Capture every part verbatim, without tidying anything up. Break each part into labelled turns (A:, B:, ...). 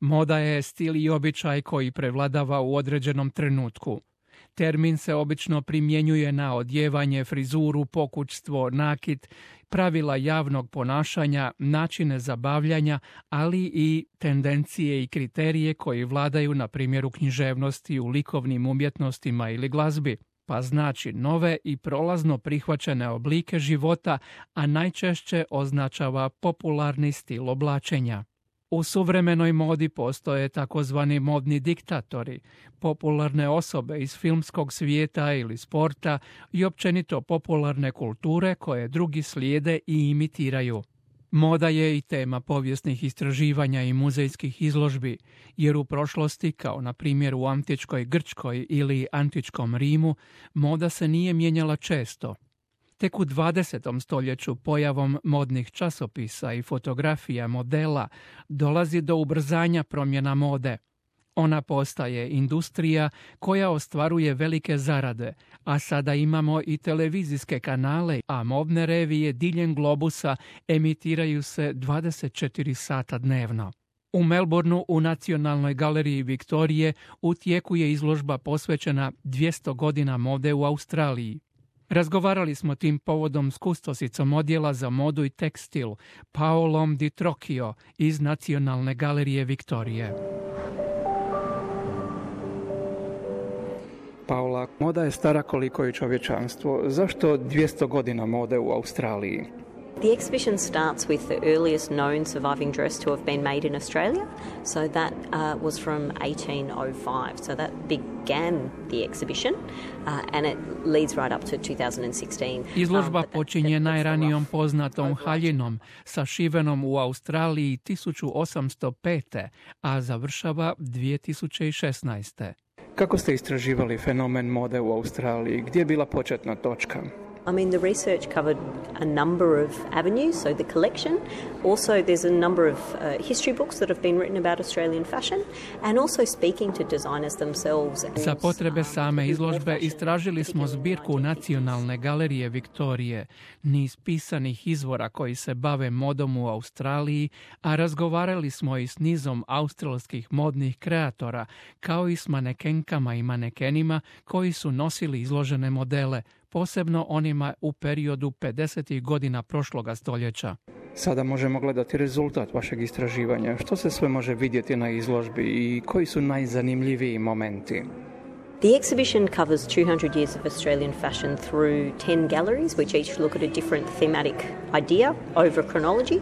A: Moda je stil i običaj koji prevladava u određenom trenutku. Termin se obično primjenjuje na odjevanje, frizuru, pokućstvo, nakit, pravila javnog ponašanja, načine zabavljanja, ali i tendencije i kriterije koji vladaju na primjer u književnosti, u likovnim umjetnostima ili glazbi, pa znači nove i prolazno prihvaćene oblike života, a najčešće označava popularni stil oblačenja. U suvremenoj modi postoje takozvani modni diktatori, popularne osobe iz filmskog svijeta ili sporta i općenito popularne kulture koje drugi slijede i imitiraju. Moda je i tema povijesnih istraživanja i muzejskih izložbi, jer u prošlosti, kao na primjer u antičkoj Grčkoj ili antičkom Rimu, moda se nije mijenjala često. Tek u dvadesetom stoljeću pojavom modnih časopisa i fotografija modela dolazi do ubrzanja promjena mode. Ona postaje industrija koja ostvaruje velike zarade, a sada imamo i televizijske kanale, a modne revije diljem globusa emitiraju se dvadeset četiri sata dnevno. U Melbourneu u Nacionalnoj galeriji Viktorije u tijeku je izložba posvećena dvjesto godina mode u Australiji. Razgovarali smo tim povodom s kustosicom odjela za modu i tekstil, Paolom Di Trocchio iz Nacionalne galerije Viktorije.
B: Paola, moda je stara koliko i čovječanstvo. Zašto dvjesto godina mode u Australiji?
C: The exhibition starts with the earliest known surviving dress to have been made in Australia. So that uh, was from eighteen oh five. So that began the exhibition uh, and it leads right up to two thousand sixteen.
A: Izložba um, počinje najranijom poznatom haljinom, sašivenom u Australiji tisuću osamsto pete. a završava dvije tisuće šesnaeste.
B: Kako ste istraživali fenomen mode u Australiji? Gdje je bila početna točka?
C: I mean, the research covered a number of avenues, so the collection. Also, there's a number of uh, history books that have been written about Australian fashion, and also speaking to designers themselves.
A: Za potrebe same izložbe istražili smo zbirku Nacionalne galerije Viktorije, niz pisanih izvora koji se bave modom u Australiji, a razgovarali smo i s nizom australskih modnih kreatora, kao i s manekenkama i manekenima koji su nosili izložene modele, posebno onima u periodu pedesetih godina prošloga stoljeća.
B: Sada možemo gledati rezultat vašeg istraživanja. Što se sve može vidjeti na izložbi i koji su najzanimljiviji momenti?
C: The exhibition covers two hundred years of Australian fashion through ten galleries, which each look at a different thematic idea over chronology.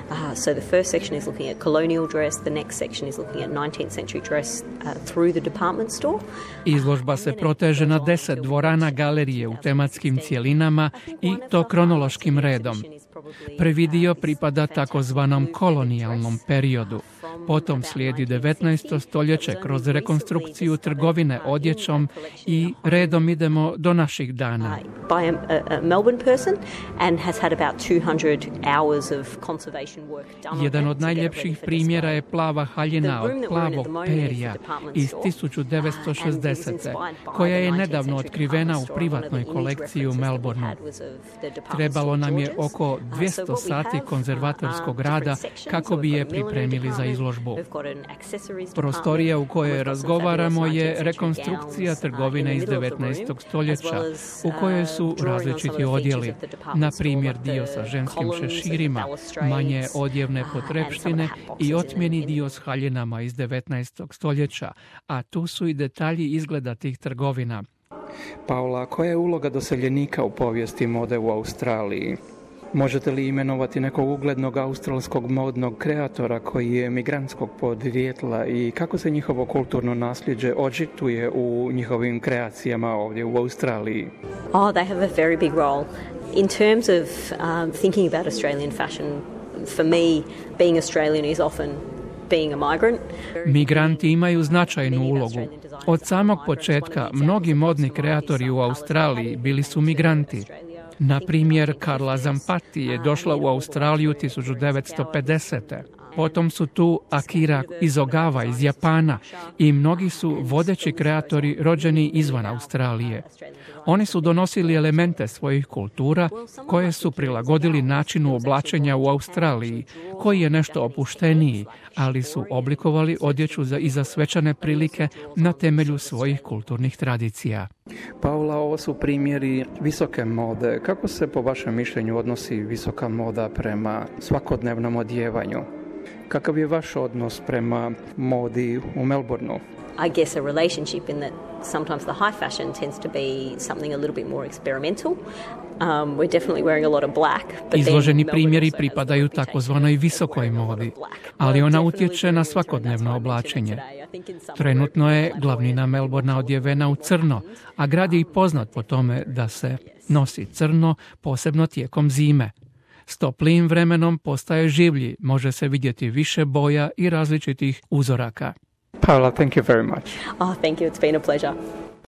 C: Uh, so the first section is looking at colonial dress, the next section is looking at nineteenth century dress uh, through the department store.
A: Izložba se proteže na deset dvorana galerije u tematskim cjelinama i to kronološkim redom. Prvi dio pripada takozvanom kolonijalnom periodu. Potom slijedi devetnaesto stoljeće kroz rekonstrukciju trgovine odjećom i redom idemo do naših dana. Jedan od najljepših primjera je plava haljina od plavog perija iz tisuću devetsto šezdesete. koja je nedavno otkrivena u privatnoj kolekciji u Melbourneu. Trebalo nam je oko dvjesto sati konzervatorskog rada kako bi je pripremili za izložbu. Prostorija u kojoj razgovaramo je rekonstrukcija trgovine iz devetnaestog stoljeća, u kojoj su različiti odjeli, na primjer dio sa ženskim šeširima, manje odjevne potrepštine i otmjeni dio s haljinama iz devetnaestog stoljeća, a tu su i detalji izgleda tih trgovina.
B: Paola, koja je uloga doseljenika u povijesti mode u Australiji? Možete li imenovati nekog uglednog australskog modnog kreatora koji je migrantskog podrijetla i kako se njihovo kulturno nasljeđe očituje u njihovim kreacijama ovdje u Australiji?
C: Oh, they have a very big role. In terms of um, thinking about Australian fashion, for me, being Australian is often being a migrant.
A: Migranti imaju značajnu ulogu. Od samog početka mnogi modni kreatori u Australiji bili su migranti. Na primjer, Carla Zampatti je došla u Australiju tisuću devetsto pedesete. Potom su tu Akira Izogawa iz Japana i mnogi su vodeći kreatori rođeni izvan Australije. Oni su donosili elemente svojih kultura koje su prilagodili načinu oblačenja u Australiji, koji je nešto opušteniji, ali su oblikovali odjeću za i za svečane prilike na temelju svojih kulturnih tradicija.
B: Paula, ovo su primjeri visoke mode. Kako se po vašem mišljenju odnosi visoka moda prema svakodnevnom odjevanju? Kakav je vaš odnos prema modi u Melbourneu?
C: I guess a relationship in that sometimes the high fashion tends to be something a little bit more experimental. Um, we're definitely wearing a lot of black. But
A: Izloženi primjeri pripadaju takozvanoj visokoj modi, ali ona utječe na svakodnevno oblačenje. Trenutno je glavnina Melbournea odjevena u crno, a grad je i poznat po tome da se nosi crno, posebno tijekom zime. S toplijim vremenom postaje življi, može se vidjeti više boja i različitih uzoraka.
B: Paula, thank you very much.
C: Oh, thank you. It's been a pleasure.